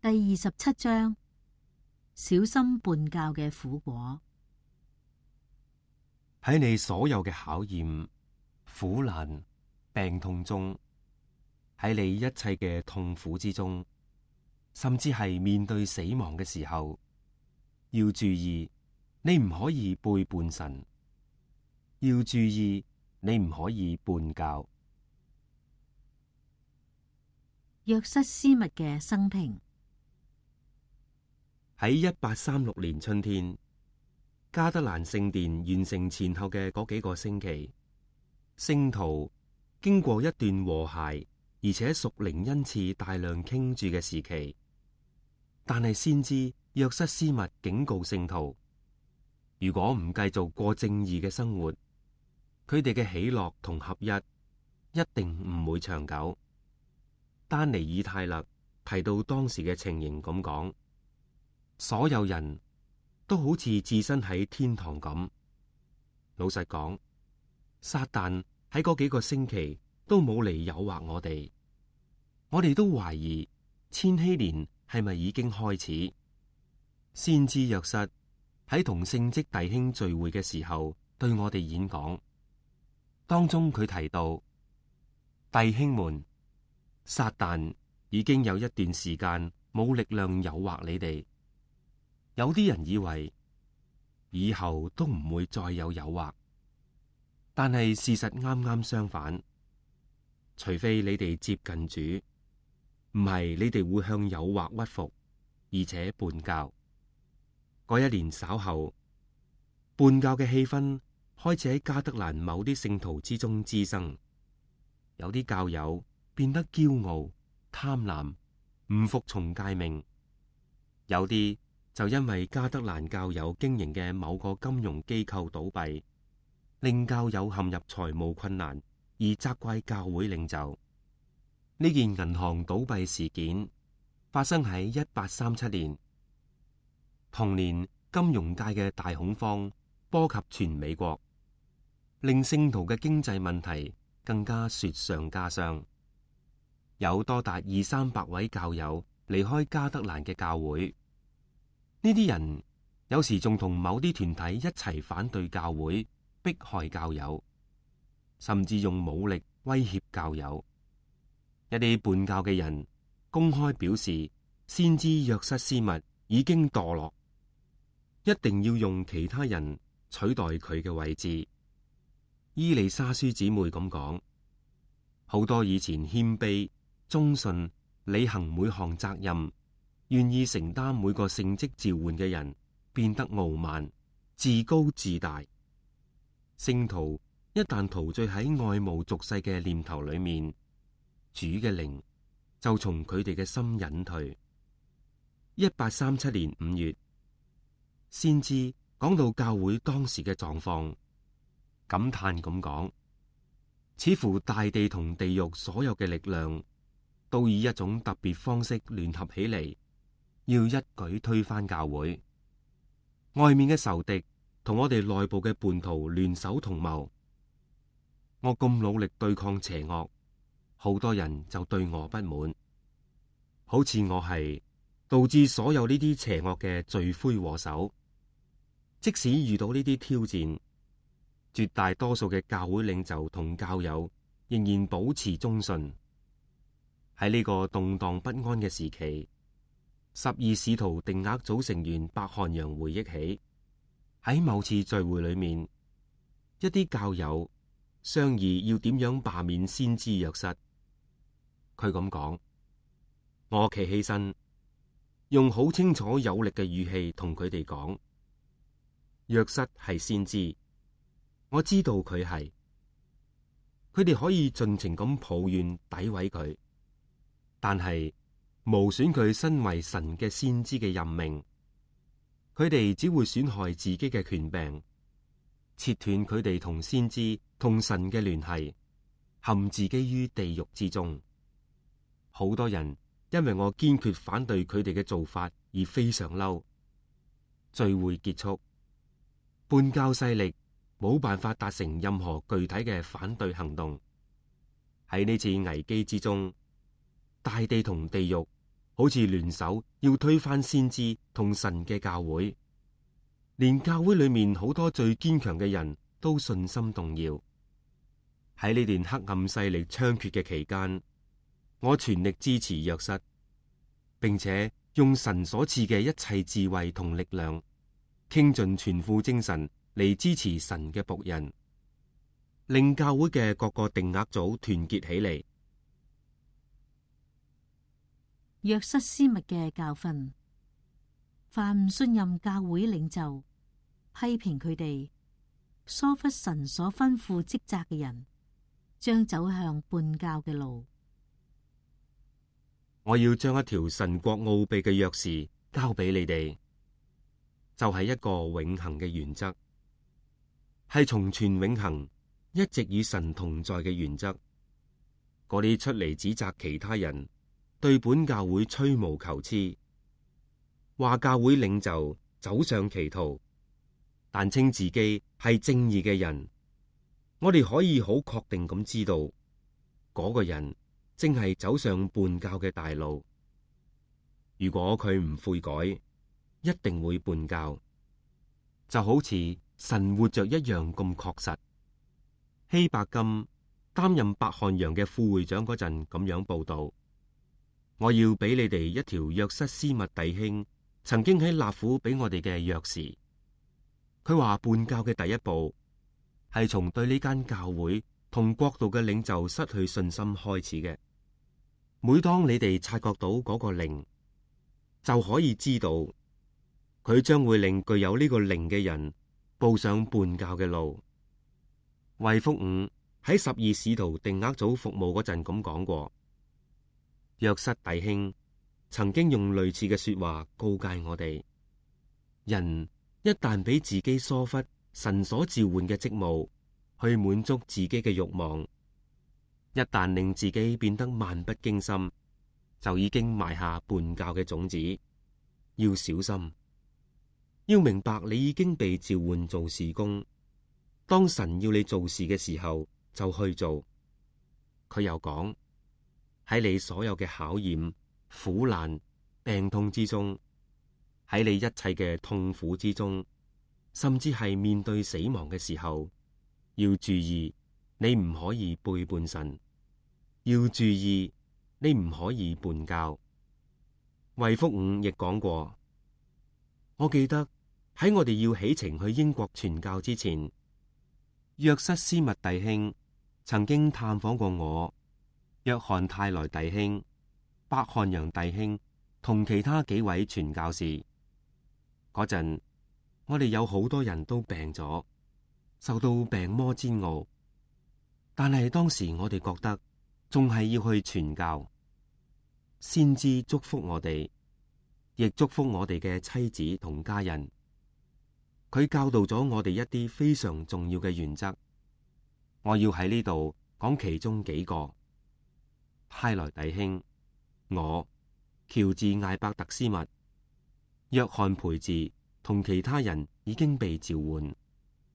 第27章，小心叛教嘅苦果。喺你所有嘅考驗、苦難、病痛中，喺你一切嘅痛苦之中，甚至係面對死亡嘅時候，要注意，你唔可以背叛神，要注意，你唔可以叛教。約瑟斯密嘅生平。喺1836年春天，加德蘭聖殿完成前後嘅嗰幾個星期，聖徒經過一段和諧而且屬靈恩賜大量傾注嘅時期，但係先知約瑟斯密警告聖徒，如果唔繼續過正義嘅生活，佢哋嘅喜樂同合一定唔會長久。丹尼爾泰勒提到當時嘅情形咁講，所有人都好似置身喺天堂咁。老實講，撒旦喺嗰幾個星期都冇嚟誘惑我哋，我哋都懷疑千禧年係咪已經開始。先知約瑟喺同聖職弟兄聚會嘅時候對我哋演講，當中佢提到，弟兄們，撒旦已經有一段時間冇力量誘惑你哋。有啲人以為以後都唔會再有誘惑，但係事實啱啱相反。除非你哋接近主，唔係你哋會向誘惑屈服，而且叛教。嗰一年稍後，叛教嘅氣氛開始喺加德蘭某啲聖徒之中滋生，有啲教友變得驕傲、貪婪，唔服從誡命；有啲就因為加德蘭教友經營嘅某個金融機構倒閉，令教友陷入財務困難，而責怪教會領袖。呢件銀行倒閉事件發生喺1837年。同年，金融界嘅大恐慌波及全美國，令聖徒嘅經濟問題更加雪上加霜。有多達200-300位教友離開加德蘭嘅教會。呢啲人有時仲同某啲團體一齊反對教會，迫害教友，甚至用武力威脅教友。一啲叛教嘅人公開表示，先知約瑟斯密已經墮落，一定要用其他人取代佢嘅位置。伊麗莎書姊妹咁講，好多以前謙卑、忠信、履行每項責任、願意承擔每個聖職召喚嘅人，變得傲慢、自高自大。聖徒一旦陶醉喺愛慕俗世嘅念頭裏面，主嘅靈就從佢哋嘅心隱退。1837年5月，先知講到教會當時嘅狀況，感嘆咁講，似乎大地同地獄所有嘅力量都以一種特別方式聯合起嚟，要一舉推翻教會。外面嘅仇敵同我哋內部嘅叛徒聯手同謀。我咁努力對抗邪惡，好多人就對我不滿，好似我係導致所有呢啲邪惡嘅罪魁禍首。即使遇到呢啲挑戰，絕大多數嘅教會領袖同教友仍然保持忠信。喺呢個動盪不安嘅時期，12使徒定額組成員白韓陽回憶起，喺某次聚會裏面，一啲教友商議要點樣罷免先知約瑟。佢咁講，我企起身，用好清楚有力嘅語氣同佢哋講，約瑟係先知，我知道佢係。佢哋可以盡情咁抱怨詆毀佢，但係無損佢身為神嘅先知嘅任命。佢哋只會損害自己嘅權柄，切斷佢哋同先知同神嘅聯繫，陷自己於地獄之中。好多人因為我堅決反對佢哋嘅做法而非常嬲。聚會結束，叛教勢力冇辦法達成任何具體嘅反對行動。喺呢次危機之中，大地同地獄好似聯手要推翻先知同神嘅教會，連教會裏面好多最堅強嘅人都信心動搖。喺呢段黑暗勢力猖獗嘅期間，我全力支持約瑟，並且用神所賜嘅一切智慧同力量，傾盡全副精神嚟支持神嘅僕人，令教會嘅各個定額組團結起嚟。約瑟斯密嘅教訓：凡唔信任教會領袖、批評佢哋、疏忽神所吩咐職責嘅人，將走向叛教嘅路。我要將一條神國奧秘嘅鑰匙交俾你哋，就係一個永恆嘅原則，係從全永恆一直與神同在嘅原則。嗰啲出嚟指責其他人，對本教會吹毛求疵，話教會領袖走上歧途，但稱自己係正義嘅人，我哋可以好確定咁知道，嗰個人正係走上叛教嘅大路。如果佢唔悔改，一定會叛教，就好似神活着一樣咁確實。希伯金擔任伯漢洋嘅副會長嗰陣咁樣報道：我要俾你哋一條約瑟斯密弟兄曾經喺納府俾我哋嘅鑰匙。佢話叛教嘅第一步係從對呢間教會同國度嘅領袖失去信心開始嘅。每當你哋察覺到嗰個靈，就可以知道佢將會令具有呢個靈嘅人步上叛教嘅路。衛福五喺12使徒定額組服務嗰陣咁講過，約瑟弟兄曾經用類似嘅說話告誡我哋：人一旦俾自己疏忽神所召喚嘅職務，去滿足自己嘅慾望，一旦令自己變得漫不經心，就已經埋下叛教嘅種子。要小心，要明白你已經被召喚做事工。當神要你做事嘅時候，就去做。佢又講，喺你所有嘅考驗、苦難、病痛之中，喺你一切嘅痛苦之中，甚至係面對死亡嘅時候，要注意你唔可以背叛神，要注意你唔可以叛教。衛福五亦講過，我記得喺我哋要起程去英國傳教之前，約瑟斯密弟兄曾經探訪過我、約翰泰萊弟兄、伯漢洋弟兄同其他幾位傳教士。嗰陣我哋有好多人都病咗，受到病魔煎熬，但係當時我哋覺得仲係要去傳教。先知祝福我哋，亦祝福我哋嘅妻子同家人。佢教導咗我哋一啲非常重要嘅原則，我要喺呢度講其中幾個。泰萊弟兄、我、喬治艾伯特斯密、約翰培治同其他人已經被召喚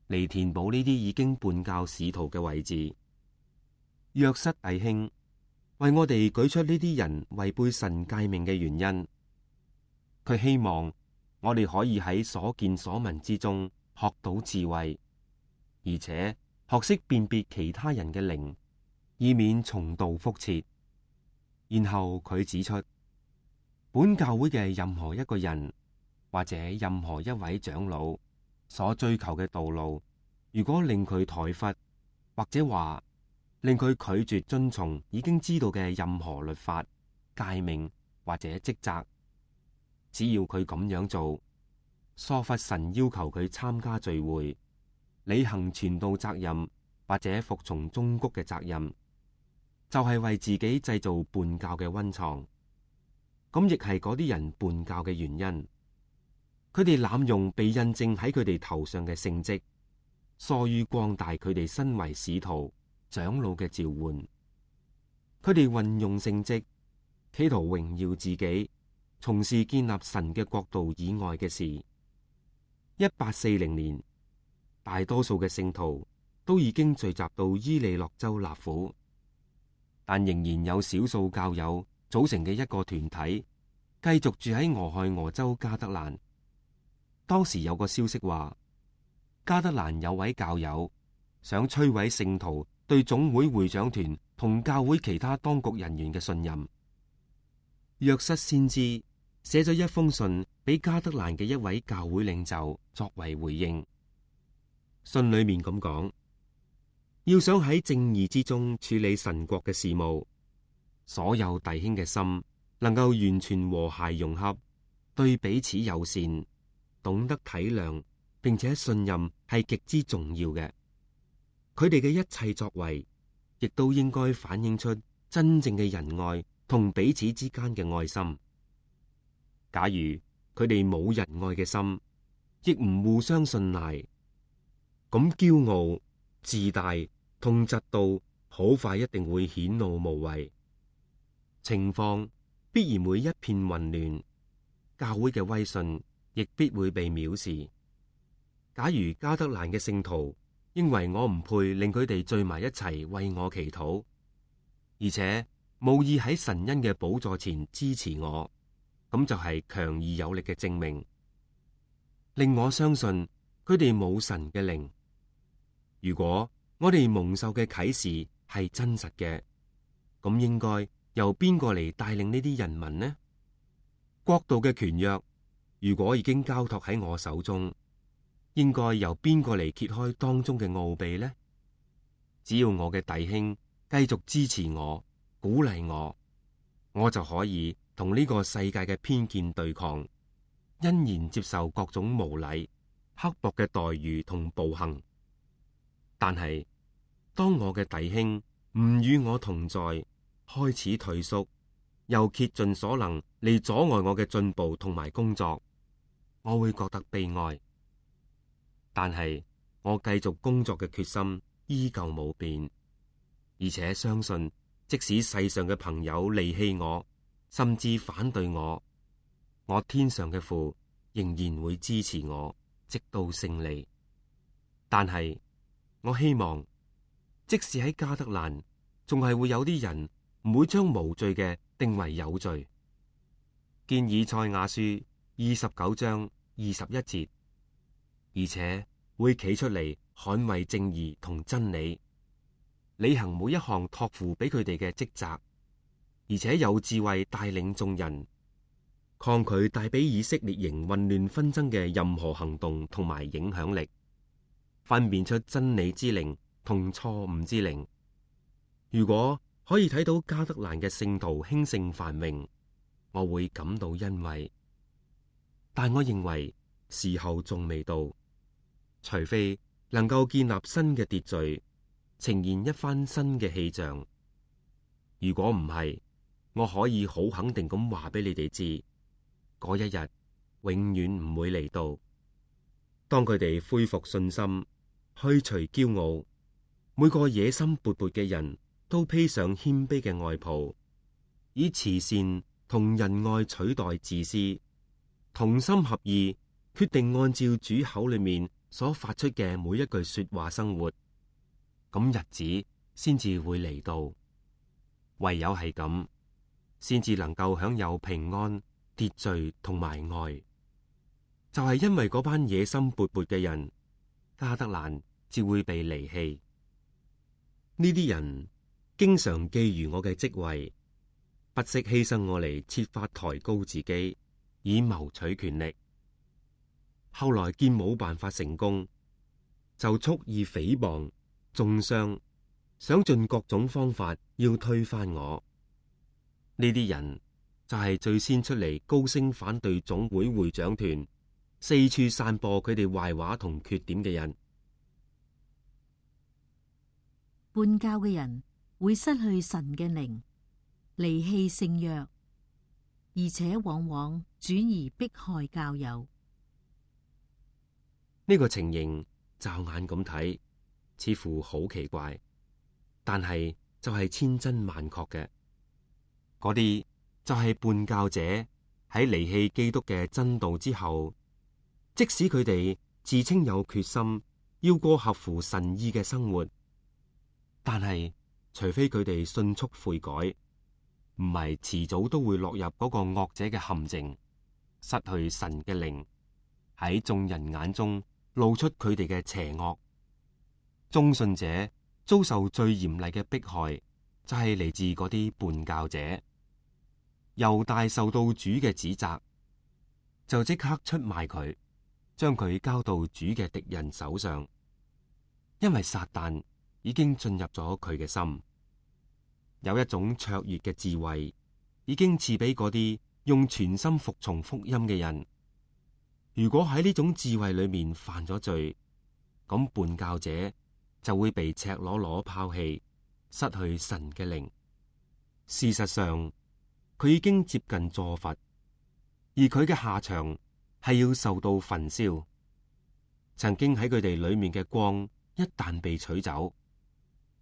嚟填補呢啲已經叛教使徒嘅位置。約瑟弟兄為我哋舉出呢啲人違背神誡命嘅原因，佢希望我哋可以喺所見所聞之中學到智慧，而且學識辨別其他人嘅靈，以免重蹈覆轍。然後佢指出，本教會嘅任何一個人或者任何一位長老所追求嘅道路，如果令佢怠忽，或者話令佢拒絕遵從已經知道嘅任何律法、誡命或者職責，只要佢咁樣做，疏忽神要求佢參加聚會、履行傳道責任或者服從忠告嘅責任，就係為自己製造叛教嘅溫床。咁亦係嗰啲人叛教嘅原因。佢哋濫用被印證喺佢哋頭上嘅聖職，疏於擴大佢哋身為使徒、長老嘅召喚。佢哋運用聖職，企圖榮耀自己，從事建立神嘅國度以外嘅事。1840年，大多數嘅聖徒都已經聚集到伊利諾州納府，但仍然有少數教友組成嘅一個團體繼續住喺俄亥俄州加德蘭。當時有個消息話，加德蘭有位教友想摧毀聖徒對總會會長團同教會其他當局人員嘅信任。約瑟先知寫咗一封信俾加德蘭嘅一位教會領袖作為回應。信裏面咁講，要想喺正義之中處理神國嘅事務，所有弟兄嘅心能夠完全和諧融合，對彼此友善，懂得體諒，並且信任係極之重要嘅。佢哋嘅一切作為，亦都應該反映出真正嘅仁愛同彼此之間嘅愛心。假如佢哋冇仁愛嘅心，亦唔互相信賴，咁驕傲、自大同嫉妒好快一定會顯露無遺，情況必然會一片混亂，教會嘅威信亦必會被藐視。假如加德蘭嘅聖徒認為我唔配令佢哋聚埋一齊為我祈禱，而且無意喺神恩嘅寶座前支持我，咁就係強而有力嘅證明，令我相信佢哋冇神嘅靈。如果我哋蒙受嘅啟示係真實嘅，咁應該由邊個嚟帶領呢啲人民呢？國度嘅權約如果已經交託喺我手中，應該由邊個嚟揭開當中嘅奧秘呢？只要我嘅弟兄繼續支持我、鼓勵我，我就可以同呢個世界嘅偏見對抗，欣然接受各種無禮、刻薄嘅待遇同暴行。但係當我嘅弟兄唔與我同在，開始退縮，又竭盡所能嚟阻礙我嘅進步同埋工作，我會覺得悲哀。但係我繼續工作嘅決心依舊冇變，而且相信即使世上嘅朋友離棄我，甚至反對我，我天上嘅父仍然會支持我，直到勝利。但係我希望，即使喺加德蘭，仲係會有啲人唔會將無罪嘅定為有罪。見以賽亞書29章21節，而且會企出嚟捍衛正義同真理，履行每一項託付俾佢哋嘅職責，而且有智慧帶領眾人，抗拒帶俾以色列營混亂紛爭嘅任何行動同埋影響力，分辨出真理之靈同錯誤之靈。如果可以睇到加德蘭嘅聖徒興盛繁榮，我會感到欣慰。但我認為時候仲未到，除非能夠建立新嘅秩序，呈現一番新嘅氣象。如果唔係，我可以好肯定咁話俾你哋知，嗰一日永遠唔會嚟到。當佢哋恢復信心，去除驕傲，每個野心勃勃嘅人都披上謙卑嘅外袍，以慈善同仁愛取代自私，同心合意，決定按照主口裏面所發出嘅每一句說話生活，咁日子先至會嚟到。唯有係咁，先至能夠享有平安、秩序同埋愛。就係因為嗰班野心勃勃嘅人，加德蘭至會被離棄。呢啲人經常覬覦我嘅職位，不惜犧牲我嚟設法抬高自己，以謀取權力。後來見冇辦法成功，就蓄意誹謗、中傷，想盡各種方法要推翻我。呢啲人就係最先出嚟高聲反對總會會長團，四處散播佢哋壞話同缺點嘅人。叛教嘅人會失去神嘅靈，離棄聖約，而且往往轉而迫害教友。呢個情形驟眼咁睇，似乎好奇怪，但係就係千真萬確嘅。嗰啲就係叛教者喺離棄基督嘅真道之後，即使佢哋自稱有決心要過合乎神意嘅生活，但係除非佢哋迅速悔改，唔係遲早都會落入嗰個惡者嘅陷阱，失去神嘅靈，喺眾人眼中露出佢哋嘅邪惡。忠信者遭受最嚴厲嘅迫害，就係嚟自嗰啲叛教者。猶大受到主嘅指責，就即刻出賣佢，將佢交到主嘅敵人手上，因為撒旦已經進入咗佢嘅心。有一種卓越嘅智慧，已經賜俾嗰啲用全心服從福音嘅人。如果喺呢種智慧裏面犯咗罪，咁叛教者就會被赤裸裸拋棄，失去神嘅靈。事實上，佢已經接近坐罰，而佢嘅下場係要受到焚燒。曾經喺佢哋裏面嘅光一旦被取走，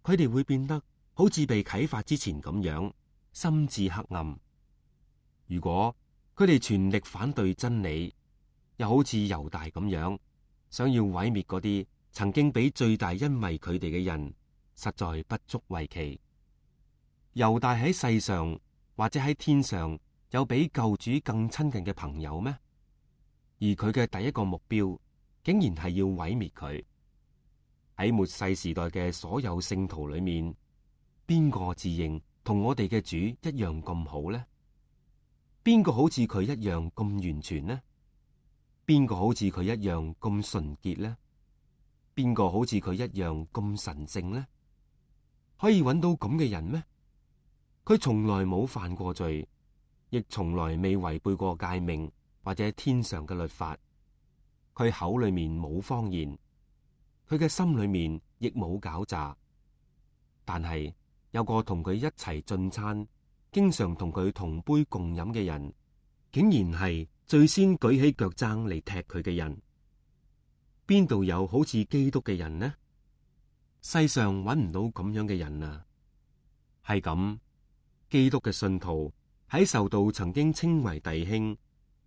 佢哋會變得好似被啟發之前咁樣，心智黑暗。如果佢哋全力反對真理，又好似猶大咁樣，想要毀滅嗰啲曾經俾最大恩惠佢哋嘅人，實在不足為奇。猶大喺世上或者喺天上有比救主更親近嘅朋友咩？而佢嘅第一個目標竟然係要毀滅佢。喺末世時代嘅所有聖徒裏面，邊個自認同我哋嘅主一樣咁好呢？邊個好似佢一樣咁完全呢？邊個好似佢一樣咁純潔呢？邊個好似佢一樣咁神聖呢？可以揾到咁嘅人咩？佢從來冇犯過罪，亦從來未違背過誡命或者天上嘅律法。佢口裏面冇謊言，佢嘅心裏面亦冇狡詐。但係有個同佢一齊進餐，經常同佢同杯共飲嘅人，竟然係最先舉起腳踭嚟踢佢嘅人。邊度有好似基督嘅人呢？世上揾唔到咁樣嘅人啊！係咁，基督嘅信徒喺受到曾經稱為弟兄，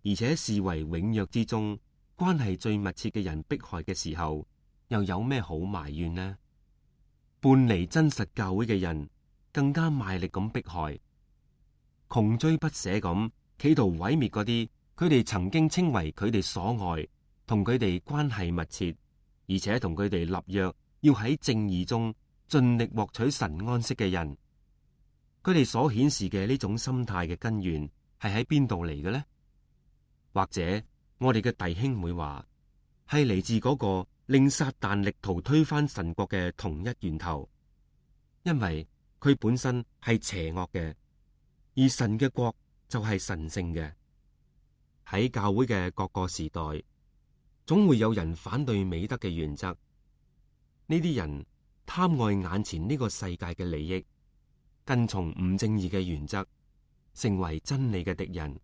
而且視為永約之中關係最密切嘅人迫害嘅時候，又有咩好埋怨呢？叛離真實教會嘅人更加賣力咁迫害，窮追不捨咁企圖毀滅嗰啲佢哋曾經稱為佢哋所愛，同佢哋關係密切，而且同佢哋立約要喺正義中盡力獲取神安息嘅人。佢哋所顯示嘅呢種心態嘅根源係喺邊度嚟嘅呢？或者我哋嘅弟兄會話係嚟自嗰個令撒旦力圖推翻神國嘅同一源頭，因為佢本身係邪惡嘅，而神嘅國就係神聖嘅。喺教會嘅各個時代，總會有人反對美德嘅原則。呢啲人貪愛眼前呢個世界嘅利益，跟從唔正義嘅原則，成為真理嘅敵人。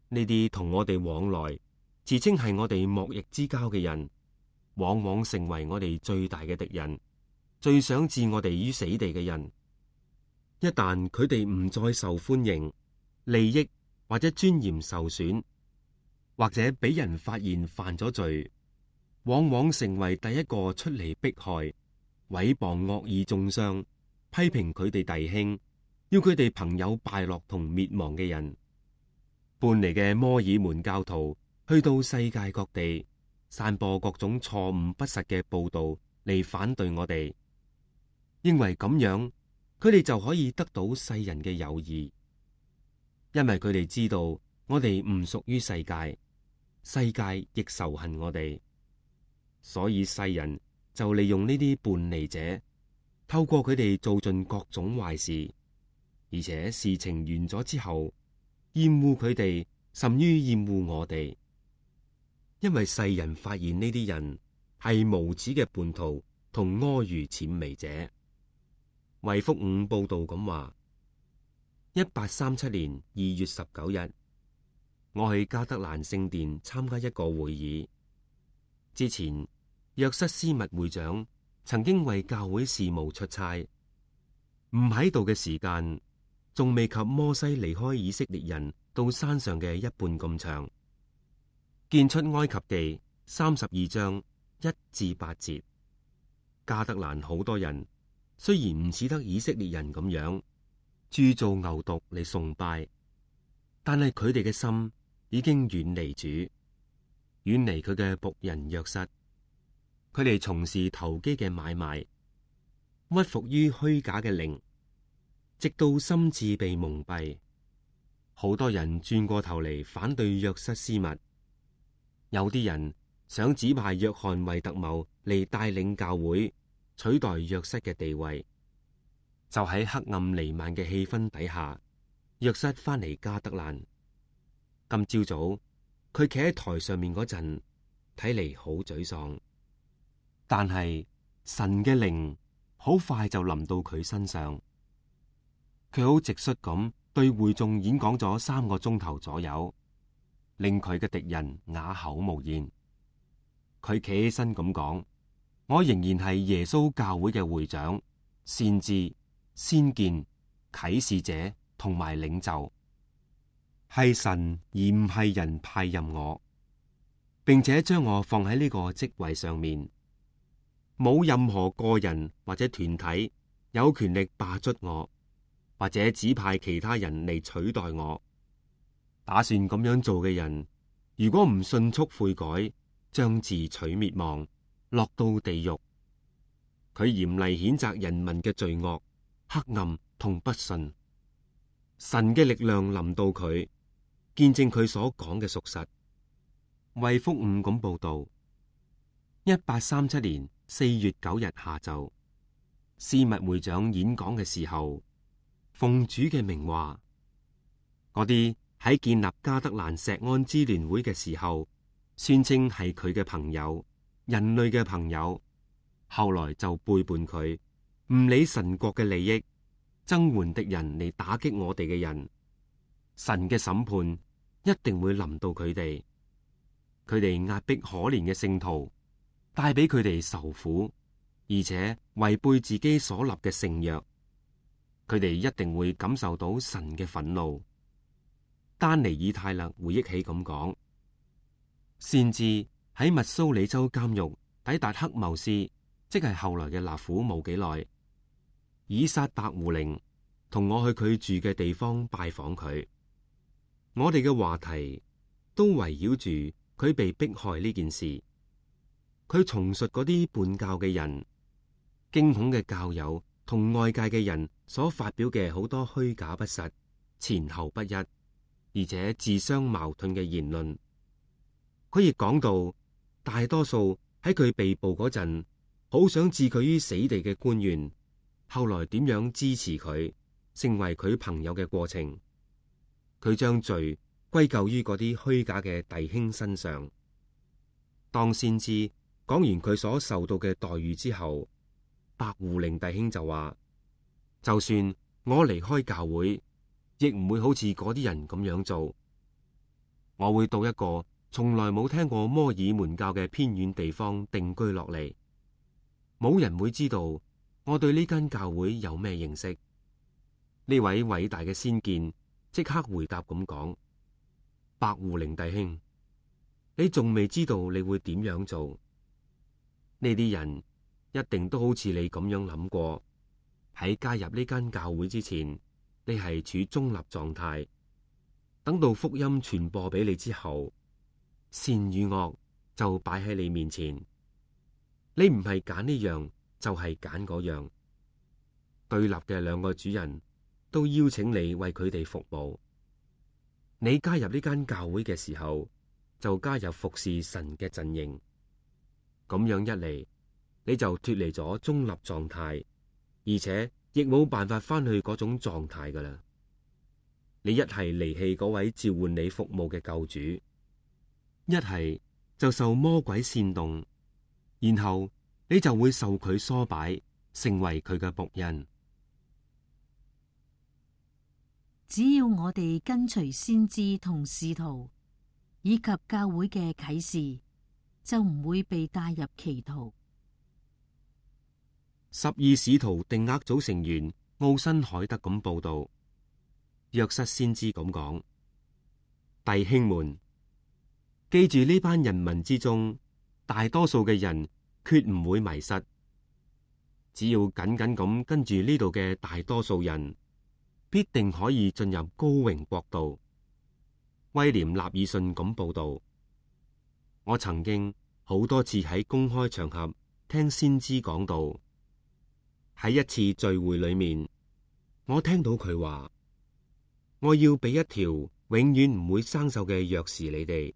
呢啲同我哋往來，自稱係我哋莫逆之交嘅人，往往成為我哋最大嘅敵人，最想置我哋於死地嘅人。一旦佢哋唔再受歡迎，利益或者尊嚴受損，或者俾人發現犯咗罪，往往成為第一個出嚟迫害、毀謗惡意中傷、批評佢哋弟兄，要佢哋朋友敗落同滅亡嘅人。叛離嘅摩爾門教徒去到世界各地，散播各種錯誤不實嘅報道嚟反對我哋，認為咁樣佢哋就可以得到世人嘅友誼，因為佢哋知道我哋唔屬於世界，世界亦仇恨我哋，所以世人就利用呢啲叛離者，透過佢哋做盡各種壞事，而且事情完咗之後，厭惡佢哋，甚於厭惡我哋。因為世人發現呢啲人係無恥嘅叛徒同阿諛諂媚者。衛福五報道咁話：1837年2月19日，我去加德蘭聖殿參加一個會議。之前，約瑟斯密會長曾經為教會事務出差，唔喺度嘅時間，仲未及摩西離開以色列人到山上嘅一半咁長。見出埃及記32章1至8節，加德蘭好多人雖然唔似得以色列人咁樣，鑄造牛犢嚟崇拜，但係佢哋嘅心已經遠離主，遠離佢嘅僕人約瑟。佢哋從事投機嘅買賣，屈服於虛假嘅靈，直到心智被蒙蔽。好多人轉過頭嚟反對約瑟斯密，有啲人想指派約翰惠特茂嚟帶領教會，取代約瑟嘅地位。就喺黑暗彌漫嘅氣氛底下，約瑟翻嚟加德蘭。今朝早佢企喺台上面嗰陣，睇嚟好沮喪。但係神嘅靈好快就臨到佢身上，佢好直率咁對會眾演講咗3個鐘頭左右，令佢嘅敵人啞口無言。佢企起身咁講：我仍然係耶穌教會嘅會長、先知、先見、啟示者同埋領袖，係神而唔係人派任我，並且將我放喺呢個職位上面。冇任何個人或者團體有權力罷黜我，或者指派其他人嚟取代我。打算咁樣做嘅人，如果唔迅速悔改，將自取滅亡，落到地獄。佢嚴厲譴責人民嘅罪惡、黑暗同不信。神嘅力量臨到佢，見證佢所講嘅屬實。衛福五咁報道：1837年4月9日下晝，斯密會長演講嘅時候，奉主嘅名話，嗰啲喺建立加德蘭石安支聯會嘅時候，宣稱係佢嘅朋友、人類嘅朋友，後來就背叛佢，唔理神國嘅利益，增援敵人嚟打擊我哋嘅人。神嘅審判一定會臨到佢哋，佢哋壓迫可憐嘅聖徒，帶俾佢哋受苦，而且違背自己所立嘅聖約，佢哋一定會感受到神嘅憤怒。丹尼爾泰勒回憶起咁講：先至喺密蘇里州監獄抵達黑茂斯，即係後來嘅納府冇幾耐，以撒伯胡靈同我去佢住嘅地方拜訪佢，我哋嘅話題都圍繞住佢被迫害呢件事。佢重述嗰啲叛教嘅人、驚恐嘅教友同外界嘅人所發表嘅好多虛假不實、前後不一，而且自相矛盾嘅言論。佢亦講到，大多數喺佢被捕嗰陣，好想置佢於死地嘅官員，後來點樣支持佢，成為佢朋友嘅過程。佢將罪歸咎於嗰啲虛假嘅弟兄身上。當先知講完佢所受到嘅待遇之後，白胡靈弟兄就話：就算我離開教會，亦唔會好似嗰啲人咁樣做。我會到一個從來冇聽過摩爾門教嘅偏遠地方定居落嚟，冇人會知道我對呢間教會有咩認識。呢位偉大嘅先見即刻回答咁講：白胡靈弟兄，你仲未知道你會點樣做。呢啲人一定都好似你咁樣諗過，喺加入呢間教會之前，你係處中立狀態。等到福音傳播俾你之後，善與惡就擺喺你面前，你唔係揀呢樣就係揀嗰樣。對立嘅兩個主人都邀請你為佢哋服務。你加入呢間教會嘅時候，就加入服侍神嘅陣營。咁樣一嚟，你就脫離咗中立狀態，而且亦冇辦法翻去嗰種狀態噶啦。你一係離棄嗰位召喚你服務嘅救主，一係就受魔鬼煽動，然後你就會受佢唆擺，成為佢嘅僕人。只要我哋跟隨先知同使徒，以及教會嘅啟示，就唔會被帶入歧途。12使徒定額組成員奧辛海德咁報道，約瑟先知咁講：弟兄們，記住呢班人民之中，大多數嘅人決唔會迷失。只要緊緊咁跟住呢度嘅大多數人，必定可以進入高榮國度。威廉納爾遜咁報道。我曾經好多次喺公開場合聽先知講道。喺一次聚會裏面，我聽到佢話：我要俾一條永遠唔會生鏽嘅鑰匙你哋，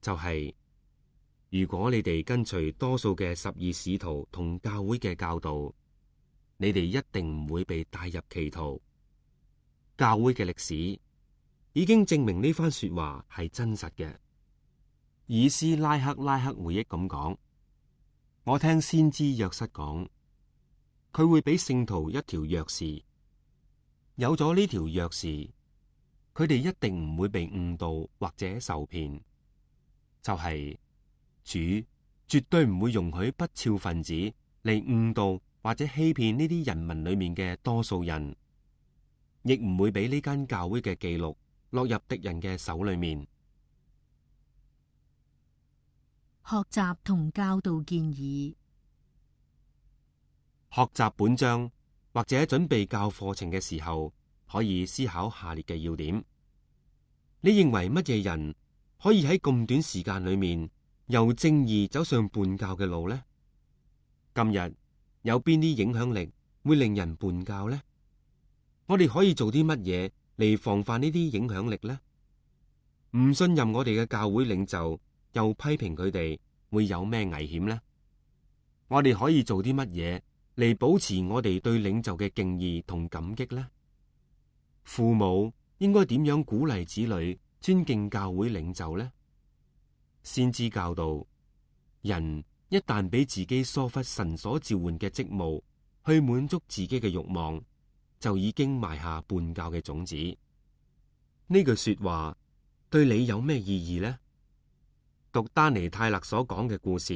就係如果你哋跟隨多數嘅12使徒同教會嘅教導，你哋一定唔會被帶入歧途。教會嘅歷史已經證明呢番說話係真實嘅。以斯拉克回憶咁講：我聽先知約瑟講，佢會俾聖徒一條鑰匙，有咗呢條鑰匙，佢哋一定唔會被誤導或者受騙。就係主絕對唔會容許不肖分子嚟誤導或者欺騙呢啲人民裏面嘅多數人，亦唔會俾呢間教會嘅記錄落入敵人嘅手裏面。學習同教導建議。學習本章或者準備教課程嘅時候，可以思考下列嘅要點。你認為乜嘢人可以喺咁短時間裏面由正義走上叛教嘅路呢？今日有邊啲影響力會令人叛教呢？我哋可以做啲乜嘢嚟防範呢啲影響力呢？唔信任我哋嘅教會領袖，又批評佢哋，會有咩危險呢？我哋可以做啲乜嘢嚟保持我哋對領袖嘅敬意同感激呢？父母應該點樣鼓勵子女尊敬教會領袖呢？先知教導，人一旦俾自己疏忽神所召喚嘅職務，去滿足自己嘅慾望，就已經埋下叛教嘅種子。呢句說話對你有咩意義呢？讀丹尼泰勒所講嘅故事，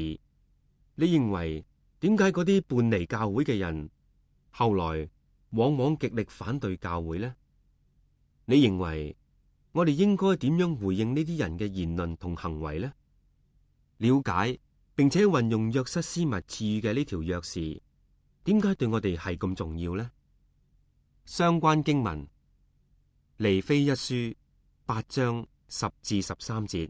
你認為點解嗰啲叛離教會嘅人後來往往極力反對教會呢？你認為我哋應該點樣回應呢啲人嘅言論同行為呢？了解並且運用約瑟斯密賜予嘅呢條鑰匙，點解對我哋係咁重要呢？相關經文：尼非一書8章10至13節，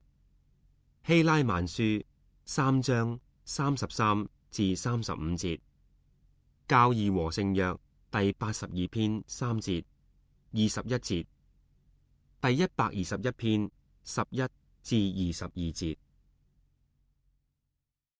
希拉曼書3章33至35節，教義和聖約第82篇3節、21節，第121篇11至22節。